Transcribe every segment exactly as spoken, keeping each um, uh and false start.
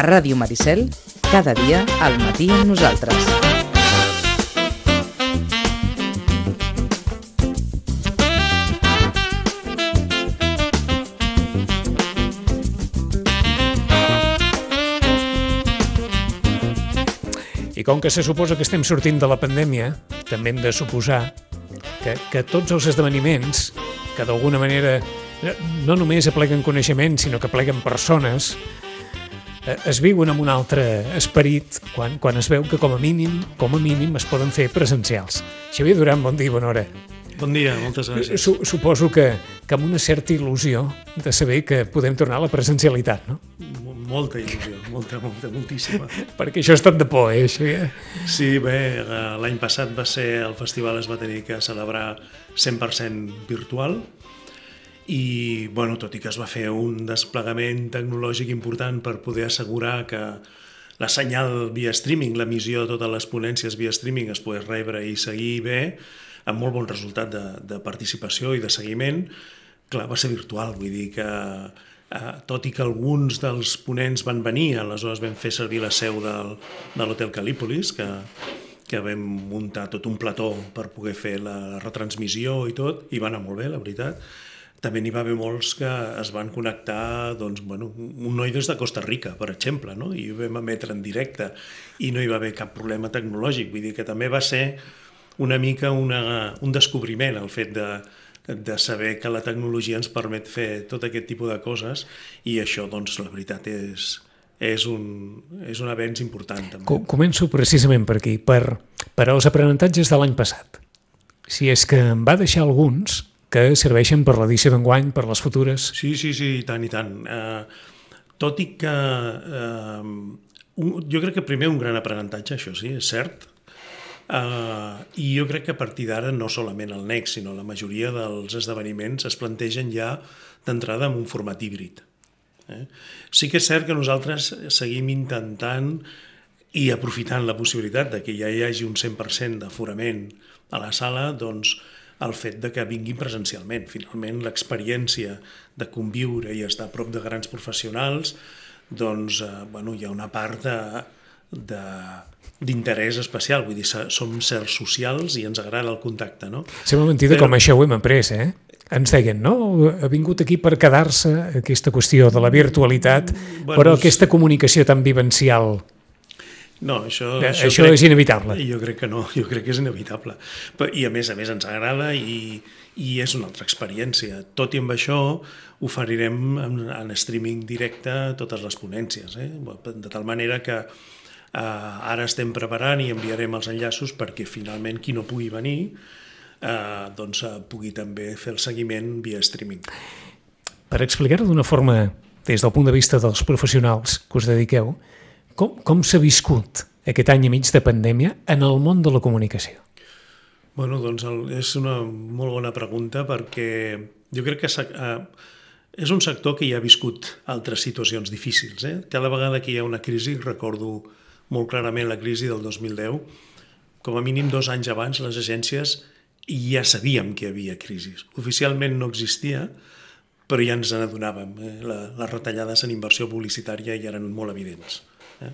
Ràdio Maricel, cada dia al matí amb nosaltres. I com que se suposa que estem sortint de la pandèmia, també hem de suposar que, que tots els esdeveniments que d'alguna manera no només apleguen coneixement, sinó que apleguen persones, es viuen amb un altre esperit quan, quan es veu que com a mínim, com a mínim es poden fer presencials. Xavier Duran, bon dia i bona hora. Bon dia, moltes gràcies. Su, suposo que, que amb una certa il·lusió de saber que podem tornar a la presencialitat, no? Molta il·lusió, molta, molta, moltíssima. Perquè això ha estat de por, eh, Xavier? Sí, bé, l'any passat va ser, el festival es va tenir que celebrar cent per cent virtual i, bueno, tot i que es va fer un desplegament tecnològic important per poder assegurar que la senyal via streaming, l'emissió de totes les ponències via streaming es pogués rebre i seguir bé, amb molt bon resultat de, de participació i de seguiment, clar, va ser virtual, vull dir que eh, tot i que alguns dels ponents van venir, aleshores vam fer servir la seu del, de l'Hotel Calípolis, que, que vam muntar tot un plató per poder fer la retransmissió i tot, i va anar molt bé, la veritat. També n'hi va haver molts que es van connectar, doncs, bueno, un noi des de Costa Rica, per exemple, no? I ho vam emetre en directe i no hi va haver cap problema tecnològic, vull dir que també va ser una mica una, un descobriment el fet de, de saber que la tecnologia ens permet fer tot aquest tipus de coses i això, doncs, la veritat és, és, un, és un avenç important. També. Començo precisament per aquí, per, per als aprenentatges de l'any passat. Si és que em va deixar alguns que serveixen per l'edició d'enguany, per les futures. Sí, sí, sí, i tant, i tant. Eh, tot i que eh, un, jo crec que primer un gran aprenentatge, això sí, és cert. Uh, I jo crec que a partir d'ara no solament el Next, sinó la majoria dels esdeveniments es plantegen ja d'entrada amb un format híbrid. Eh? Sí que és cert que nosaltres seguim intentant i aprofitant la possibilitat de que ja hi hagi un cent per cent d'aforament a la sala, doncs el fet de que vinguin presencialment. Finalment, l'experiència de conviure i estar a prop de grans professionals, doncs, uh, bueno, hi ha una part de, de d'interès especial, vull dir, som sers socials i ens agrada el contacte, no? Sembla mentida Però... com això ho hem après, eh? Ens deien, no? Ha vingut aquí per quedar-se aquesta qüestió de la virtualitat, bueno, però aquesta comunicació tan vivencial... No, això, eh, això, això crec, és inevitable. Jo crec que no, jo crec que és inevitable. I a més a més ens agrada i, i és una altra experiència. Tot i amb això oferirem en, en streaming directe totes les ponències, eh? De tal manera que Uh, ara estem preparant i enviarem els enllaços perquè finalment qui no pugui venir uh, doncs, uh, pugui també fer el seguiment via streaming. Per explicar-ho d'una forma des del punt de vista dels professionals que us dediqueu, com, com s'ha viscut aquest any i mig de pandèmia en el món de la comunicació? Bueno, doncs el, és una molt bona pregunta perquè jo crec que uh, és un sector que ja ha viscut altres situacions difícils. Eh? Cada vegada que hi ha una crisi, recordo molt clarament la crisi del dos mil deu, com a mínim dos anys abans les agències ja sabíem que hi havia crisi. Oficialment no existia, però ja ens n'adonàvem. Eh? La, les retallades en inversió publicitària ja eren molt evidents. Eh?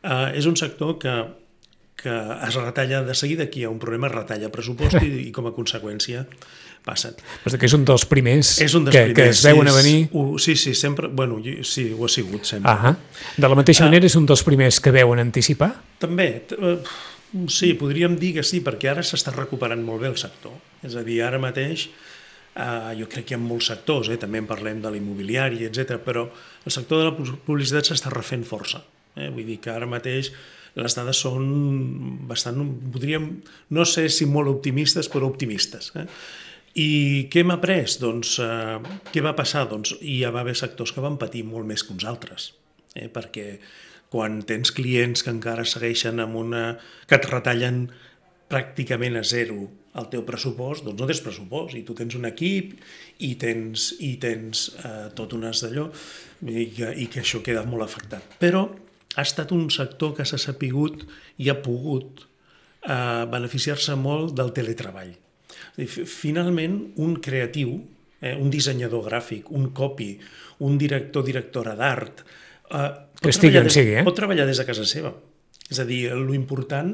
Uh, és un sector que, que es retalla de seguida, que hi ha un problema, es retalla pressupost i, i com a conseqüència passen. Però que és un dels primers, és un dels que, primers que es veuen sí, a venir. Uh, sí, sí, sempre, bueno, sí, ho ha sigut sempre. Ah, de la mateixa uh, manera és un dels primers que veuen anticipar? També, uh, sí, podríem dir que sí, perquè ara s'està recuperant molt bé el sector. És a dir, ara mateix uh, jo crec que hi ha molts sectors, eh? També en parlem de l'immobiliari, etcètera, però el sector de la publicitat s'està refent força. Eh? Vull dir que ara mateix les dades són bastant, podríem, no sé si molt optimistes, però optimistes. Eh? I què hem après? Doncs, eh, què va passar? Doncs hi va haver sectors que van patir molt més que uns altres, eh? Perquè quan tens clients que encara segueixen amb una... que et retallen pràcticament a zero el teu pressupost, doncs no tens pressupost, i tu tens un equip i tens, i tens eh, tot un as d'allò, i que, i que això queda molt afectat. Però ha estat un sector que s'ha sapigut i ha pogut eh, beneficiar-se molt del teletreball. Finalment, un creatiu, eh, un dissenyador gràfic, un copy, un director, directora d'art, Uh, que estigui on des, sigui, eh? Pot treballar des de casa seva. És a dir, l'important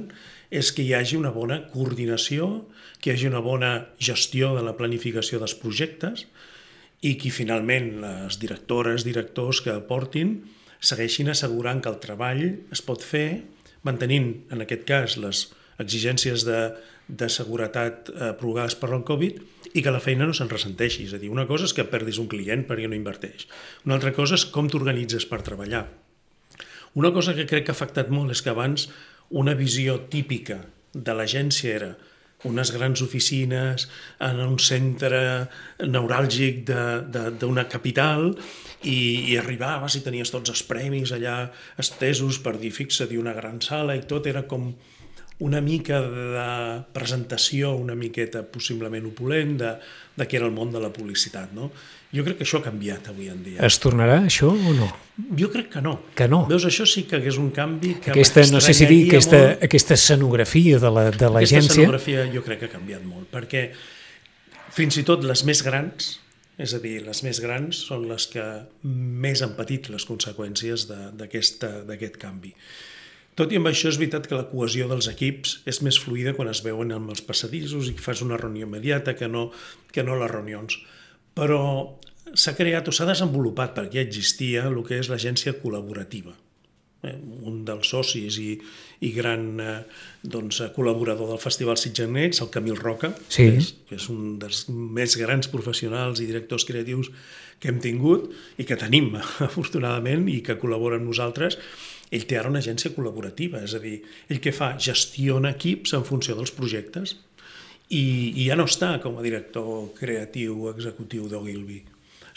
és que hi hagi una bona coordinació, que hi hagi una bona gestió de la planificació dels projectes i que finalment les directores, directors que aportin segueixin assegurant que el treball es pot fer mantenint, en aquest cas, les exigències de, de seguretat eh, provocades per el Covid i que la feina no se'n ressenteixi. És a dir, una cosa és que perdis un client perquè no inverteix. Una altra cosa és com t'organitzes per treballar. Una cosa que crec que ha afectat molt és que abans una visió típica de l'agència era unes grans oficines en un centre neuràlgic d'una capital i, i arribaves i tenies tots els premis allà estesos per dir fixa't i una gran sala i tot era com una mica de presentació una miqueta possiblement opulent de, de què era el món de la publicitat, no? Jo crec que això ha canviat avui en dia. Es tornarà això o no? Jo crec que no. Que no? Veus, això sí que és un canvi que aquesta, no sé si dir, aquesta, molt. aquesta escenografia de l'agència... Aquesta escenografia jo crec que ha canviat molt, perquè fins i tot les més grans, és a dir, les més grans són les que més han patit les conseqüències d'aquest canvi. Tot i amb això és veritat que la cohesió dels equips és més fluida quan es veuen amb els passadissos i fas una reunió immediata que no, que no les reunions. Però s'ha creat o s'ha desenvolupat, perquè ja existia, el que és l'agència col·laborativa. Eh, un dels socis i, i gran eh, doncs, col·laborador del Festival Sitges, el Camil Roca, sí. que, és, que és un dels més grans professionals i directors creatius que hem tingut i que tenim, afortunadament, i que col·labora amb nosaltres. Ell té ara una agència col·laborativa, és a dir, ell que fa? Gestiona equips en funció dels projectes i, i ja no està com a director creatiu executiu d'Ogilvy,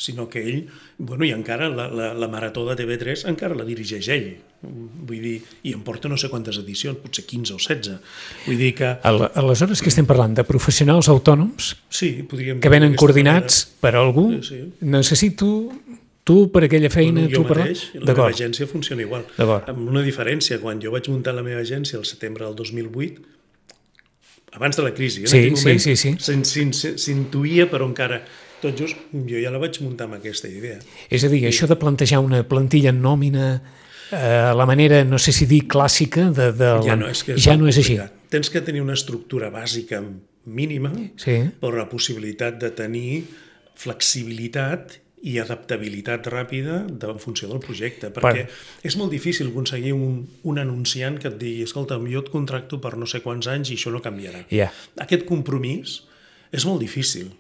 sinó que ell, bueno, i encara la, la, la marató de T V tres encara la dirigeix ell, vull dir, i em porta no sé quantes edicions, potser quinze o setze, vull dir que... Aleshores que estem parlant de professionals autònoms sí, podríem que venen coordinats manera. Per algú, sí, sí. Necessito... Tu, per aquella feina... Bueno, jo tu mateix, per... la meva agència funciona igual. Amb una diferència, quan jo vaig muntar la meva agència el setembre del dos mil vuit, abans de la crisi, en sí, aquell moment sí, sí, sí. s'intuïa, però encara tot just jo ja la vaig muntar amb aquesta idea. És a dir, sí. Això de plantejar una plantilla en nòmina a eh, la manera, no sé si dir clàssica, de, de ja la... no és, que és, ja no és així. Tens que tenir una estructura bàsica mínima, sí. Però la possibilitat de tenir flexibilitat i adaptabilitat ràpida en funció del projecte, perquè per... és molt difícil aconseguir un, un anunciant que et digui, escolta, jo et contracto per no sé quants anys i això no canviarà. Yeah. Aquest compromís és molt difícil.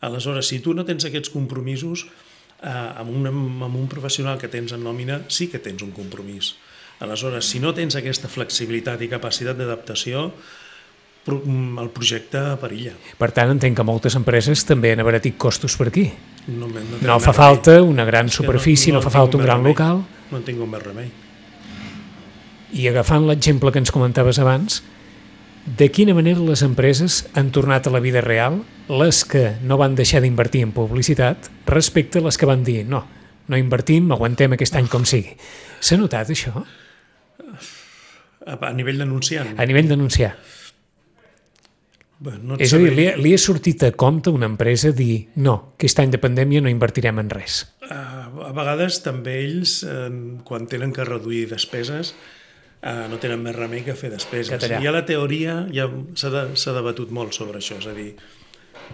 Aleshores, si tu no tens aquests compromisos, eh, amb, un, amb un professional que tens en nòmina, sí que tens un compromís. Aleshores, si no tens aquesta flexibilitat i capacitat d'adaptació, el projecte perilla. Per tant, entenc que moltes empreses també han abaratit costos per aquí. No, no, no fa falta una gran superfície, no, no, no fa falta un gran local. No en tinc un més remei. I agafant l'exemple que ens comentaves abans, de quina manera les empreses han tornat a la vida real, les que no van deixar d'invertir en publicitat, respecte a les que van dir no, no invertim, aguantem aquest any com sigui. S'ha notat això? A nivell d'anunciant? A nivell d'anunciar. Bueno, no és a dir, li ha, li ha sortit a compte una empresa dir no, aquest any de pandèmia no invertirem en res. Uh, a vegades també ells, uh, quan tenen que reduir despeses, uh, no tenen més remei que fer despeses. Català. I a la teoria ja s'ha de, s'ha debatut molt sobre això, és a dir,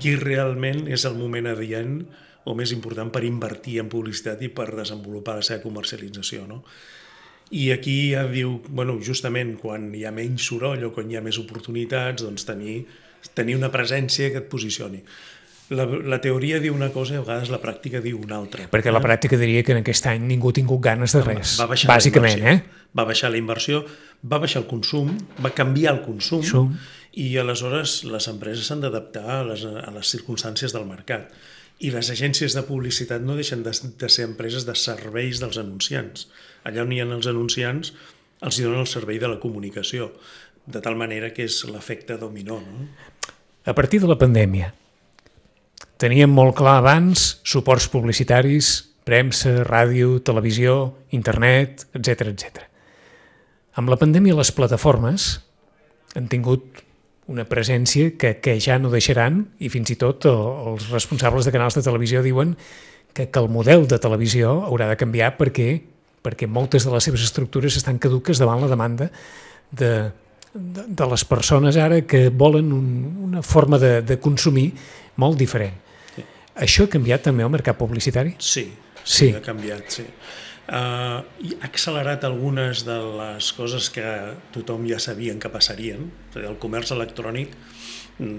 qui realment és el moment adient o més important per invertir en publicitat i per desenvolupar la seva comercialització, no? I aquí ja diu, bueno, justament quan hi ha menys soroll o quan hi ha més oportunitats, doncs tenir tenir una presència que et posicioni. La, la teoria diu una cosa i a vegades la pràctica diu una altra. Perquè la pràctica diria que en aquest any ningú ha tingut ganes de res, va baixar bàsicament. Eh? Va baixar la inversió, va baixar el consum, va canviar el consum Som. I aleshores les empreses s'han d'adaptar a les, a les circumstàncies del mercat. I les agències de publicitat no deixen de, de ser empreses de serveis dels anunciants. Allà on hi ha els anunciants els hi donen el servei de la comunicació, de tal manera que és l'efecte dominó, no? A partir de la pandèmia, teníem molt clar abans suports publicitaris, premsa, ràdio, televisió, internet, etcètera, etcètera. Amb la pandèmia les plataformes han tingut una presència que, que ja no deixaran i fins i tot els responsables de canals de televisió diuen que, que el model de televisió haurà de canviar perquè perquè moltes de les seves estructures estan caduques davant la demanda de, de, de les persones ara que volen un, una forma de, de consumir molt diferent. Sí. Això ha canviat també el mercat publicitari? Sí, sí, sí. ha canviat, sí. Uh, ha accelerat algunes de les coses que tothom ja sabien que passarien. És a dir, el comerç electrònic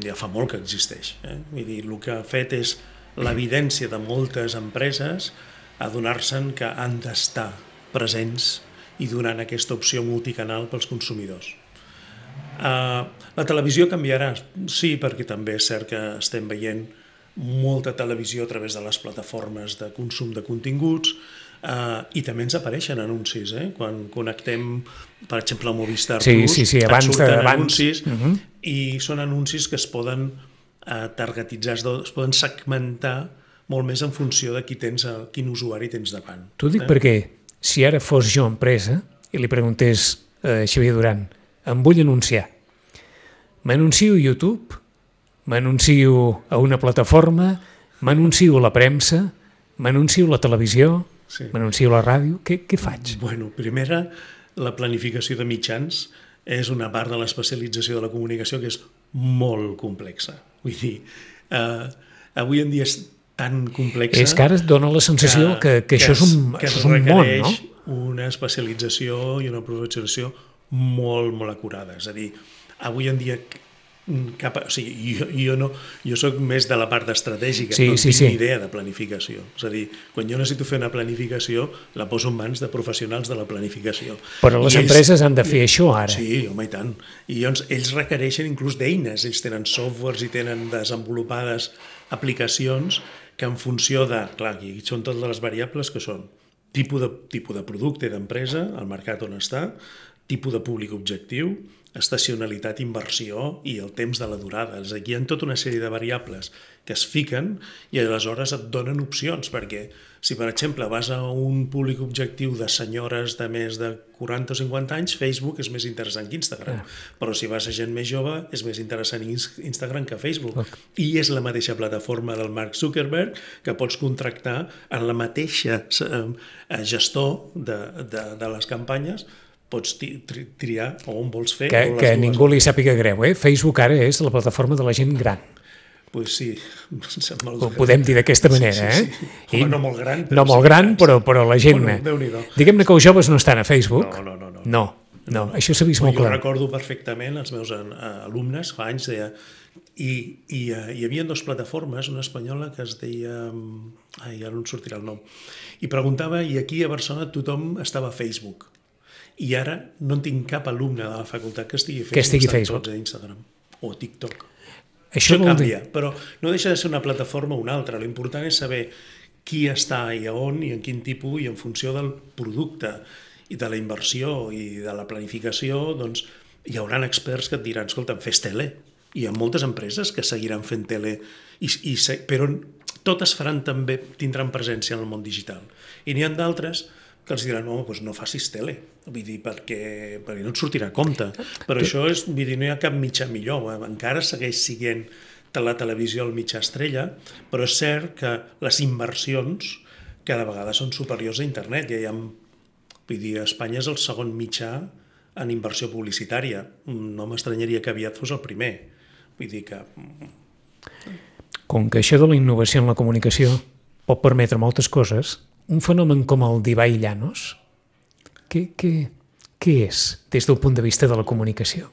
ja fa molt que existeix. Eh? Vull dir, el que ha fet és l'evidència de moltes empreses a donar-se'n que han d'estar presents i donant aquesta opció multicanal pels consumidors. Uh, la televisió canviarà, sí, perquè també és cert que estem veient molta televisió a través de les plataformes de consum de continguts, uh, i també ens apareixen anuncis, eh? Quan connectem, per exemple, a Movistar sí, Plus, sí, sí, abans et surten de, abans. anuncis, uh-huh. i són anuncis que es poden uh, targetitzar, es poden segmentar molt més en funció de qui tens, quin usuari tens davant. T'ho dic eh? perquè si ara fos jo empresa i li preguntés a Xavier Duran, em vull anunciar, m'anuncio a YouTube, m'anuncio a una plataforma, m'anuncio a la premsa, m'anuncio a la televisió, sí. m'anuncio a la ràdio, què, què faig? Bueno, primera, la planificació de mitjans és una part de l'especialització de la comunicació que és molt complexa. Vull dir, eh, avui en dia és tan complexa... És que ara es dona la sensació que, que, que, que això és un, que això és un món, no? Una especialització i una professionalització molt, molt acurada. És a dir, avui en dia... Cap, o sigui, jo, jo, no, jo soc més de la part estratègica, sí, no sí, tinc sí. ni idea de planificació. És a dir, quan jo necessito fer una planificació, la poso en mans de professionals de la planificació. Però les I empreses ells, han de fer això ara. Sí, home, i tant. I llavors ells requereixen inclús d'eines, ells tenen softwares i tenen desenvolupades aplicacions que en funció de, clar, aquí són totes les variables que són tipus de, tipus de producte d'empresa, el mercat on està, tipus de públic objectiu, estacionalitat, inversió i el temps de la durada. Aquí hi ha tota una sèrie de variables que es fiquen i aleshores et donen opcions, perquè si, per exemple, vas a un públic objectiu de senyores de més de quaranta o cinquanta anys, Facebook és més interessant que Instagram. Ah. Però si vas a gent més jove, és més interessant Instagram que Facebook. Okay. I és la mateixa plataforma del Mark Zuckerberg que pots contractar en la mateixa gestor de, de, de les campanyes, pots triar on vols fer. Que, que ningú li sàpiga greu, eh? Facebook ara és la plataforma de la gent gran. Pues sí. Ho podem dir d'aquesta manera, sí, sí, sí. eh? Home, no molt gran. No molt gran, però, però la gent... Bueno, diguem-ne que els joves no estan a Facebook. No, no, no. No, no, no. això s'ha vist molt jo clar. Jo recordo perfectament els meus alumnes, fa anys, deia... I, i uh, hi havia dues plataformes, una espanyola que es deia... Ai, ara no em sortirà el nom. I preguntava, i aquí a Barcelona tothom estava a Facebook. I ara no en tinc cap alumne de la facultat que estigui a Facebook, que estigui estan Facebook. tots a Instagram o TikTok. Això, Això canvia, dir... però no deixa de ser una plataforma o una altra. L'important és saber qui està i a on i en quin tipus i en funció del producte i de la inversió i de la planificació, doncs hi haurà experts que et diran, escolta, fes tele. Hi ha moltes empreses que seguiran fent tele, i, i, però totes faran també, tindran presència en el món digital. I n'hi ha d'altres que els diran, no, doncs no facis tele, vull dir, perquè, perquè no et sortirà a compte. Però tu... això és, vull dir, no hi ha cap mitjà millor, encara segueix sent la televisió el mitjà estrella, però és cert que les inversions cada vegada són superiors a internet. Ja hi ha, vull dir, Espanya és el segon mitjà en inversió publicitària. No m'estranyaria que aviat fos el primer. Vull dir que... Com que això de la innovació en la comunicació pot permetre moltes coses, un fenomen com el d'Ibai Llanos, què, què, què és des del punt de vista de la comunicació?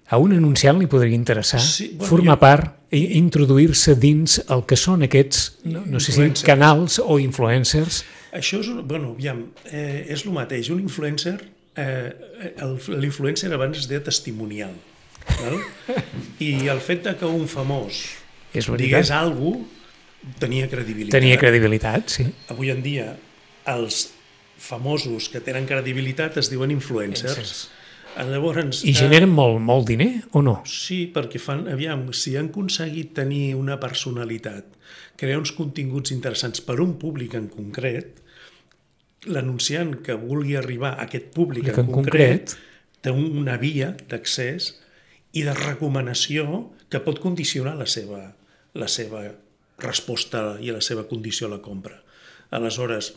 A un anunciant li podria interessar sí, bueno, formar jo... part i introduir-se dins el que són aquests, no, no sé si canals o influencers. Això és, bueno, aviam, eh, és el mateix. Un influencer, eh, l'influencer abans es deia testimonial. Val? I el fet de que un famós digués alguna cosa tenia credibilitat. Tenia credibilitat, sí. Avui en dia, els famosos que tenen credibilitat es diuen influencers. Llavors, I generen eh, molt, molt diner, o no? Sí, perquè fan, aviam, si han aconseguit tenir una personalitat, crear uns continguts interessants per un públic en concret, l'anunciant que vulgui arribar a aquest públic en, en concret, concret té una via d'accés i de recomanació que pot condicionar la seva, la seva resposta i la seva condició a la compra. Aleshores,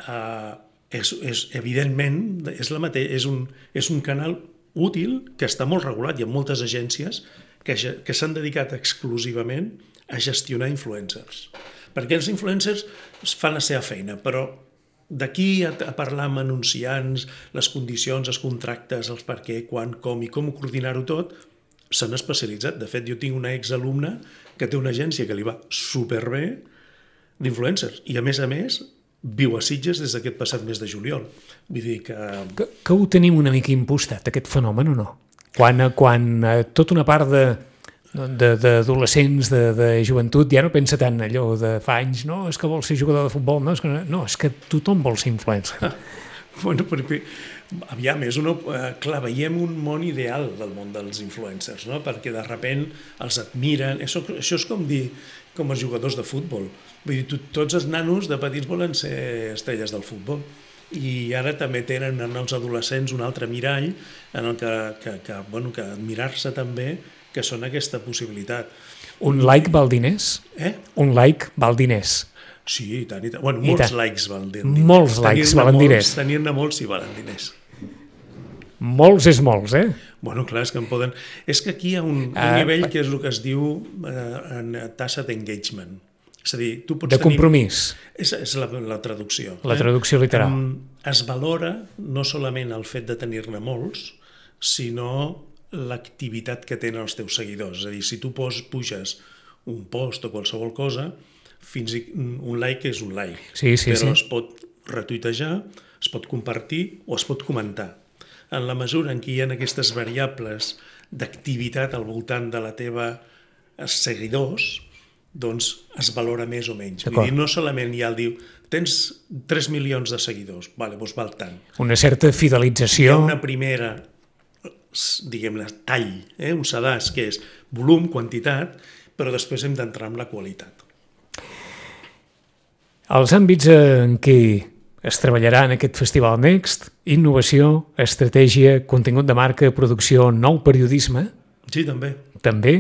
eh, és, és, evidentment, és, la mate és, un, és un canal útil que està molt regulat. Hi ha moltes agències que, que s'han dedicat exclusivament a gestionar influencers. Perquè els influencers fan la seva feina, però d'aquí a, a parlar amb anunciants, les condicions, els contractes, els per què, quan, com i com coordinar-ho tot, s'han especialitzat. De fet, jo tinc una exalumna que té una agència que li va superbé d'influencers i, a més a més, viu a Sitges des d'aquest passat mes de juliol. Vull dir que... Que, que ho tenim una mica impostat, aquest fenomen, o no? Quan, quan eh, tota una part de d'adolescents, de, de, de joventut, ja no pensa tant allò de fa anys, no, és que vol ser jugador de futbol, no, és que, no, és que tothom vol ser influencer. Ah, bueno, perquè, aviam, és una, eh, clar, veiem un món ideal del món dels influencers, no? Perquè de sobte els admiren, això, això és com dir, com els jugadors de futbol, vull dir, to, tots els nanos de petits volen ser estrelles del futbol, i ara també tenen en els adolescents un altre mirall en el que, que, que, bueno, que admirar-se també, que són aquesta possibilitat. Un like val diners? Eh? Un like val diners. Sí, i tant, i tant. Bueno, molts tant. likes valen diners. Molts likes valen diners. Tenir-ne molts sí valen diners. Molts és molts, eh? Bueno, clar, és que en poden... És que aquí hi ha un, un uh, nivell que és el que es diu eh, en tassa d'engagement. És a dir, tu pots de compromís. Tenir... És, és la, la traducció. La traducció eh? literal. Um, es valora no solament el fet de tenir-ne molts, sinó l'activitat que tenen els teus seguidors. És a dir, si tu pos, puges un post o qualsevol cosa, fins i un like és un like. Sí, sí, però sí. es pot retuitejar, es pot compartir o es pot comentar. En la mesura en què hi ha aquestes variables d'activitat al voltant de la teva seguidors, doncs es valora més o menys. Vull dir, no solament hi ha el diu, tens tres milions de seguidors, vale, doncs val tant. Una certa fidelització. Hi ha una primera, diguem-ne, tall, eh? un sedàs, que és volum, quantitat, però després hem d'entrar en la qualitat. Els àmbits en què es treballarà en aquest Festival Next: innovació, estratègia, contingut de marca, producció, nou periodisme. Sí, també. També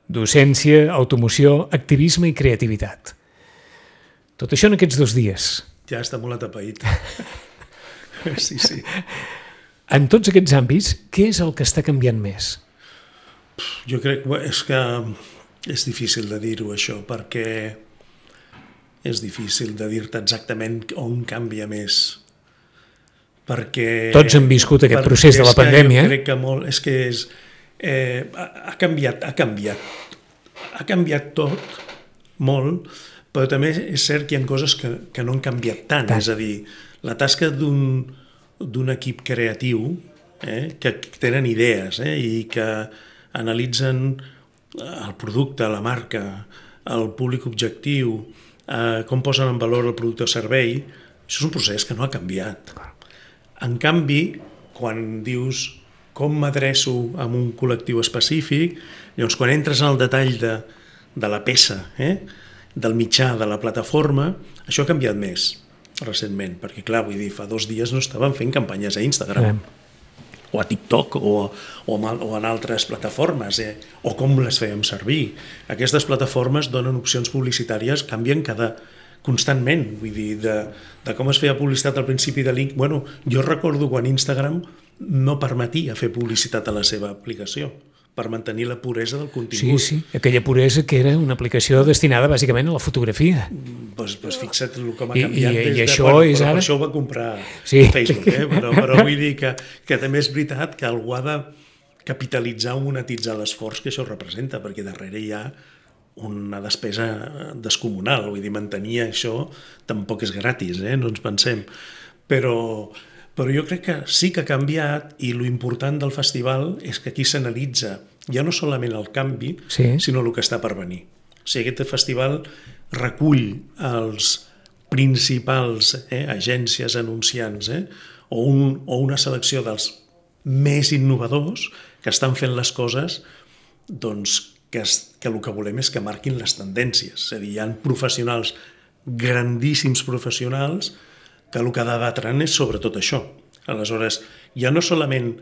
docència, automoció, activisme i creativitat. Tot això en aquests dos dies. Ja està molt atapeït. Sí, sí. En tots aquests àmbits, què és el que està canviant més? Jo crec que és que és difícil de dir-ho, això, perquè és difícil de dir-te exactament on canvia més. Perquè... Tots han viscut aquest procés de la pandèmia. Jo crec que molt... És que és... Eh, ha canviat, ha canviat. Ha canviat tot, molt, però també és cert que hi ha coses que, que no han canviat tant. tant. És a dir, la tasca d'un d'un equip creatiu, eh, que tenen idees eh, i que analitzen el producte, la marca, el públic objectiu, eh, com posen en valor el producte o servei, això és un procés que no ha canviat. En canvi, quan dius com m'adreço a un col·lectiu específic, llavors quan entres en el detall de, de la peça, eh, del mitjà, de la plataforma, això ha canviat més recentment, perquè clar, vull dir, fa dos dies no estaven fent campanyes a Instagram, sí. o a TikTok, o, o, o en altres plataformes, eh? o com les fèiem servir. Aquestes plataformes donen opcions publicitàries, canvien cada constantment, vull dir, de, de com es feia publicitat al principi de link. Bueno, jo recordo quan Instagram no permetia fer publicitat a la seva aplicació, per mantenir la puresa del contingut. Sí, sí, aquella puresa que era una aplicació destinada bàsicament a la fotografia. Pues, pues fixa't el com ha I, canviat. I, des i de, això bueno, és però ara... per això ho va comprar sí. Facebook, eh? però, però vull dir que, que també és veritat que algú ha de capitalitzar o monetitzar l'esforç que això representa, perquè darrere hi ha una despesa descomunal, vull dir, mantenir això tampoc és gratis, eh? no ens pensem. Però, però jo crec que sí que ha canviat, i lo important del festival és que aquí s'analitza ja no solament el canvi, sí. sinó el que està per venir. O sigui, aquest festival recull els principals eh, agències anunciants eh, o, un, o una selecció dels més innovadors que estan fent les coses doncs, que, es, que el que volem és que marquin les tendències. És a dir, hi ha professionals, grandíssims professionals, que el que debatran és sobre tot això. Aleshores, ja no solament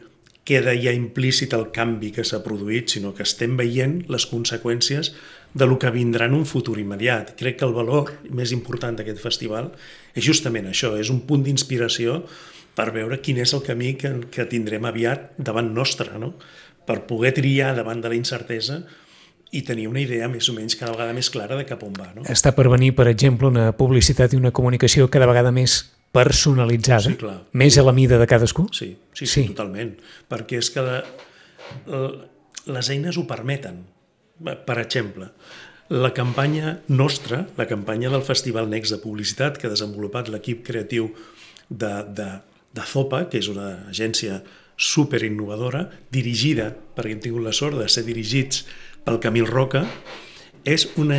queda ja implícit el canvi que s'ha produït, sinó que estem veient les conseqüències de lo que vindrà en un futur immediat. Crec que el valor més important d'aquest festival és justament això, és un punt d'inspiració per veure quin és el camí que, que tindrem aviat davant nostre, no? Per poder triar davant de la incertesa i tenir una idea més o menys cada vegada més clara de cap on va. No? Està per venir, per exemple, una publicitat i una comunicació cada vegada més personalitzada, sí, clar. més a la mida de cadascú? Sí, sí, sí, sí. totalment. Perquè és que la, la, les eines ho permeten. Per exemple, la campanya nostra, la campanya del Festival Next de Publicitat que ha desenvolupat l'equip creatiu de, de, de Zopa, que és una agència superinnovadora, dirigida, perquè hem tingut la sort de ser dirigits pel Camil Roca, és una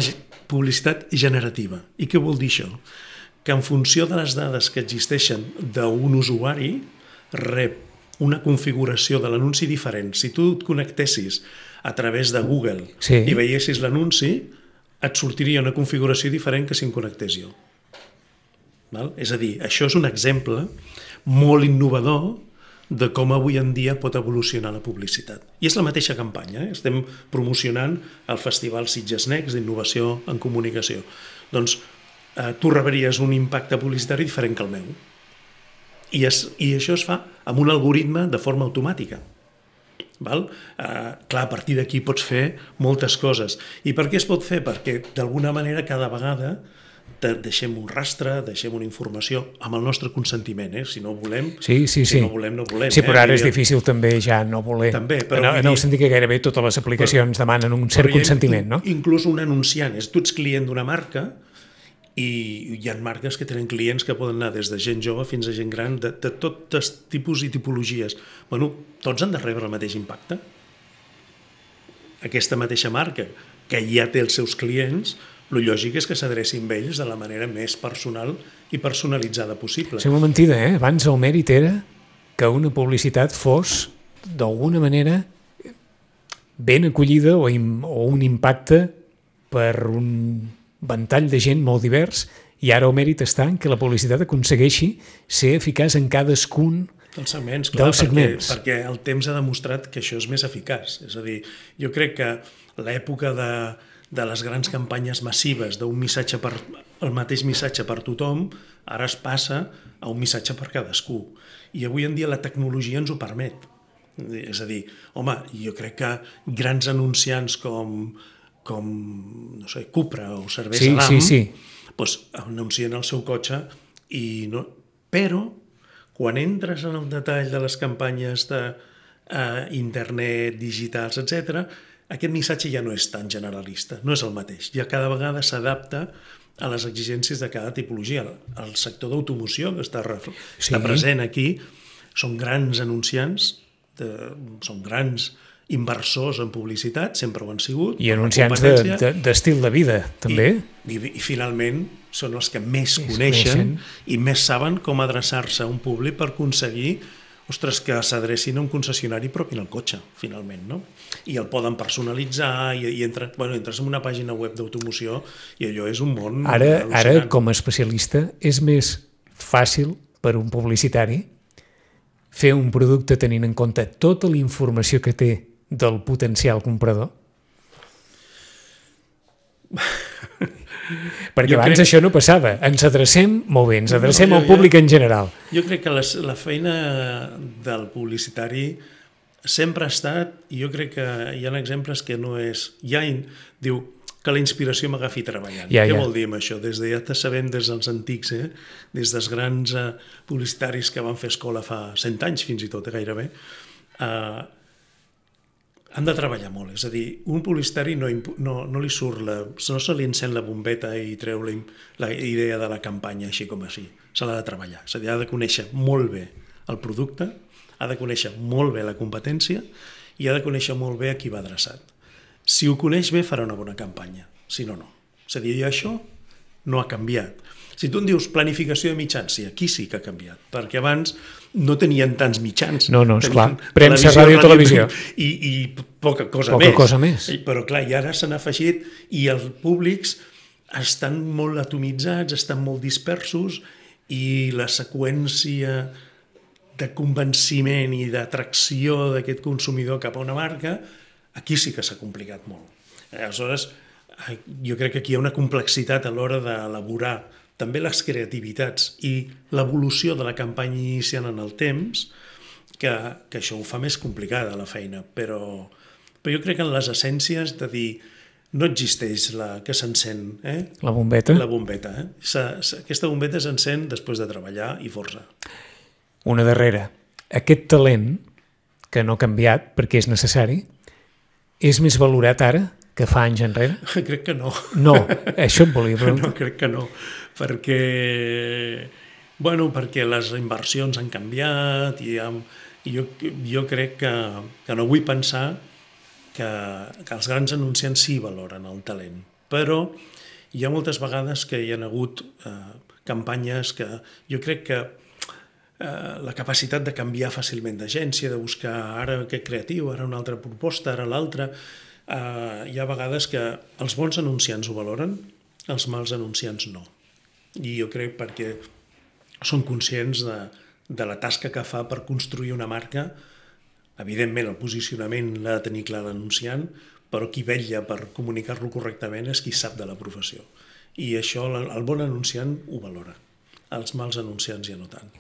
publicitat generativa. I què vol dir això? Que en funció de les dades que existeixen d'un usuari, rep una configuració de l'anunci diferent. Si tu et connectessis a través de Google sí. i veiessis l'anunci, et sortiria una configuració diferent que si em connectés jo. Val? És a dir, això és un exemple molt innovador de com avui en dia pot evolucionar la publicitat. I és la mateixa campanya, eh? Estem promocionant el Festival Sitges Next d'Innovació en Comunicació. Doncs eh, tu rebries un impacte publicitari diferent que el meu. I, es, i això es fa amb un algoritme de forma automàtica. Val? Eh, clar, a partir d'aquí pots fer moltes coses. I per què es pot fer? Perquè d'alguna manera cada vegada deixem un rastre, deixem una informació amb el nostre consentiment, eh? Si no volem, sí, sí, si sí. no volem, no volem. Sí, però eh? ara és difícil també ja no voler. També, però en, en el sentit que gairebé totes les aplicacions però, demanen un cert consentiment, no? Inclús un anunciant, és tu ets client d'una marca i hi ha marques que tenen clients que poden anar des de gent jove fins a gent gran, de, de tots tipus i tipologies. Bueno, tots han de rebre el mateix impacte. Aquesta mateixa marca, que ja té els seus clients, el lògic és que s'adrecin a ells de la manera més personal i personalitzada possible. Sembla mentida, eh? Abans el mèrit era que una publicitat fos, d'alguna manera, ben acollida o, im, o un impacte per un ventall de gent molt divers, i ara el mèrit està en que la publicitat aconsegueixi ser eficaç en cadascun dels segments, clar, dels segments. Perquè, perquè el temps ha demostrat que això és més eficaç. És a dir, jo crec que l'època de de les grans campanyes massives d'un missatge per, el mateix missatge per tothom, ara es passa a un missatge per cadascú. I avui en dia la tecnologia ens ho permet. És a dir, home, jo crec que grans anunciants com, com no sé, Cupra o Cervesa sí, Damm, sí, sí. doncs anuncien el seu cotxe, i no... però quan entres en el detall de les campanyes d'internet, eh, digitals, etcètera, aquest missatge ja no és tan generalista, no és el mateix. Ja cada vegada s'adapta a les exigències de cada tipologia. El sector d'automoció, que està, sí. està present aquí, són grans anunciants, de, són grans inversors en publicitat, sempre ho han sigut. I anunciants d'estil de, de, de vida, també. I, i, I finalment són els que més coneixen, coneixen i més saben com adreçar-se a un públic per aconseguir ostres, que s'adrecin a un concessionari propi en el cotxe, finalment, no? I el poden personalitzar i, i entra, bueno, entres en una pàgina web d'automoció i allò és un món ara, ara, com a especialista, és més fàcil per un publicitari fer un producte tenint en compte tota la informació que té del potencial comprador? Perquè jo abans crec... això no passava. Ens adrecem, molt bé, ens adrecem no, jo, al públic jo, en general. Jo crec que les, la feina del publicitari sempre ha estat, i jo crec que hi ha exemples que no és... Ja in, diu que la inspiració m'agafi treballant. Ja, Què ja. vol dir amb això? Des de, ja te sabem des dels antics, eh? Des dels grans eh, publicitaris que van fer escola fa cent anys, fins i tot, eh, gairebé, eh, han de treballar molt, és a dir, un publicitari no, no, no li surt, la, no se li encén la bombeta i treu la, la idea de la campanya així com així, se l'ha de treballar, és a dir, ha de conèixer molt bé el producte, ha de conèixer molt bé la competència i ha de conèixer molt bé a qui va adreçat. Si ho coneix bé farà una bona campanya, si no, no. És a dir, això no ha canviat. Si tu em dius planificació de mitjans, sí, aquí sí que ha canviat, perquè abans no tenien tants mitjans. No, no, esclar, premsa, ràdio, televisió. I, i poca cosa poca més. Cosa més. Però clar, i ara s'han afegit i els públics estan molt atomitzats, estan molt dispersos i la seqüència de convenciment i d'atracció d'aquest consumidor cap a una marca, aquí sí que s'ha complicat molt. Aleshores, jo crec que aquí hi ha una complexitat a l'hora d'elaborar també les creativitats i l'evolució de la campanya iniciant en el temps, que, que això ho fa més complicada la feina, però, però jo crec que en les essències de dir no existeix la que s'encén, eh? La bombeta? La bombeta, eh? Sa, sa, aquesta bombeta s'encén després de treballar i força. Una darrera. Aquest talent, que no ha canviat perquè és necessari, és més valorat ara que fa anys enrere? Crec que no. No, això em volia preguntar. No, crec que no, perquè, bueno, perquè les inversions han canviat i, ha, i jo, jo crec que, que no vull pensar que, que els grans anunciants sí valoren el talent, però hi ha moltes vegades que hi ha hagut eh, campanyes que jo crec que eh, la capacitat de canviar fàcilment d'agència, de buscar ara aquest creatiu, ara una altra proposta, ara l'altra. Uh, hi ha vegades que els bons anunciants ho valoren, els mals anunciants no. I jo crec perquè són conscients de, de la tasca que fa per construir una marca. Evidentment, el posicionament l'ha de tenir clar l'anunciant, però qui vetlla per comunicar-lo correctament és qui sap de la professió. I això el bon anunciant ho valora. Els mals anunciants ja no tant.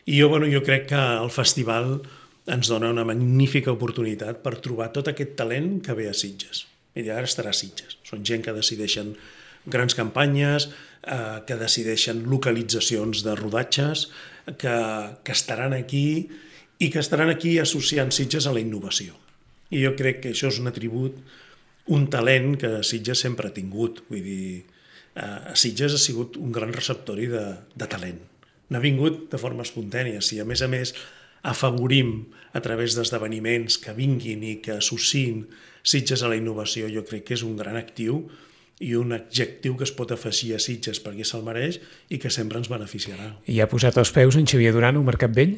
I jo, bueno, jo crec que el festival ens dona una magnífica oportunitat per trobar tot aquest talent que ve a Sitges. I ara estarà a Sitges. Són gent que decideixen grans campanyes, eh, que decideixen localitzacions de rodatges, que, que estaran aquí i que estaran aquí associant Sitges a la innovació. I jo crec que això és un atribut, un talent que Sitges sempre ha tingut. Vull dir, eh, Sitges ha sigut un gran receptori de, de talent. N'ha vingut de forma espontània. Si a més a més afavorim a través d'esdeveniments que vinguin i que associïn Sitges a la innovació, jo crec que és un gran actiu i un adjectiu que es pot afegir a Sitges perquè se'l mereix i que sempre ens beneficiarà. I ha posat els peus en Xavier Duran al Mercat Vell?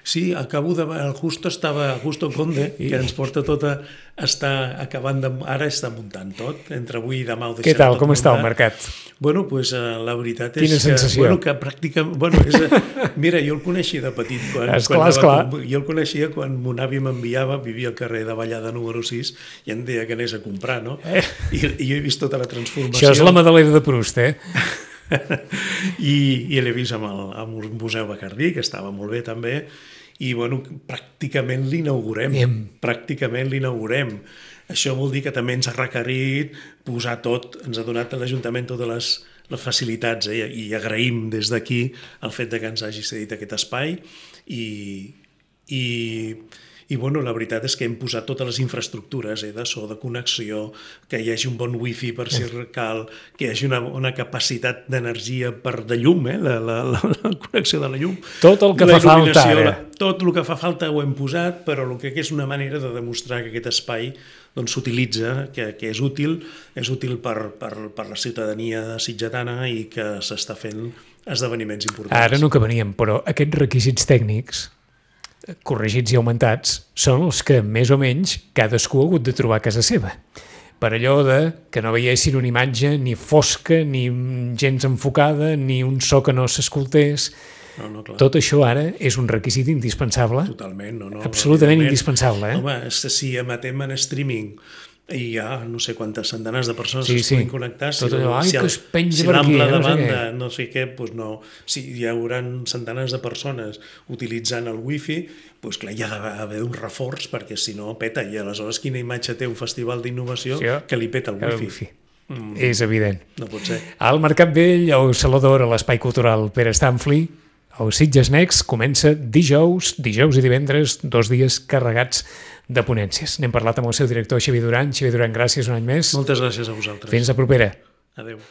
Sí, acabo de... El Justo estava... Justo Conde, I... que ens porta tot a... Està acabant de... Ara està muntant tot. Entre avui i demà ho deixem tot. Què tal? Com muntat. Està el mercat? Bueno, pues, uh, la veritat és Quina que... sensació? Bueno, que pràcticament... Bueno, és, uh, mira, jo el coneixia de petit. Quan, esclar, quan esclar. Com, jo el coneixia quan mon avi m'enviava, vivia al carrer de Vallada número sis, i em deia que anés a comprar, no? Eh. I, I jo he vist tota la transformació. Això és la Madalena de Proust, eh? I, i l'he vist amb el, amb el Museu Bacardí, que estava molt bé també, i bueno, pràcticament l'inaugurem, pràcticament l'inaugurem. Això vol dir que també ens ha requerit posar tot, ens ha donat a l'Ajuntament totes les, les facilitats, eh? I agraïm des d'aquí el fet de que ens hagi cedit aquest espai i, i, i bueno, la veritat és que hem posat totes les infraestructures, eh? De so, de connexió, que hi hagi un bon wifi per si cal, que hi hagi una, una capacitat d'energia per de llum, eh? la, la, la, la connexió de la llum. Tot el que fa falta ara. Tot el que fa falta ho hem posat, però el que és una manera de demostrar que aquest espai doncs, s'utilitza, que, que és útil, és útil per, per, per la ciutadania sitgetana i que s'està fent esdeveniments importants. Ara no acabaríem, però aquests requisits tècnics corregits i augmentats són els que més o menys cadascú ha hagut de trobar a casa seva. Per allò de que no veiessin una imatge ni fosca, ni gens enfocada, ni un so que no s'escoltés. No, no, clar. Tot això ara és un requisit indispensable. Totalment, no, no. Absolutament indispensable. Eh? Home, si emetem en streaming i hi ha no sé quantes centenars de persones sí, que es sí. puguin connectar, si, tot allò, ai, si, el, que es penja si per aquí, l'ample eh, de no sé banda, què. no sé què, doncs no. Si hi haurà centenars de persones utilitzant el wifi, doncs clar, hi ha d'haver un reforç perquè si no peta, i aleshores quina imatge té un festival d'innovació sí, que li peta el wifi. El wifi. Mm. És evident. No pot ser. Al Mercat Vell, al Saló d'Or, a l'Espai Cultural Pere Stanfli, el Sitges Next comença dijous, dijous i divendres, dos dies carregats de ponències. N'hem parlat amb el seu director, Xavier Duran. Xavier Duran, gràcies un any més. Moltes gràcies a vosaltres. Fins la propera. Adéu.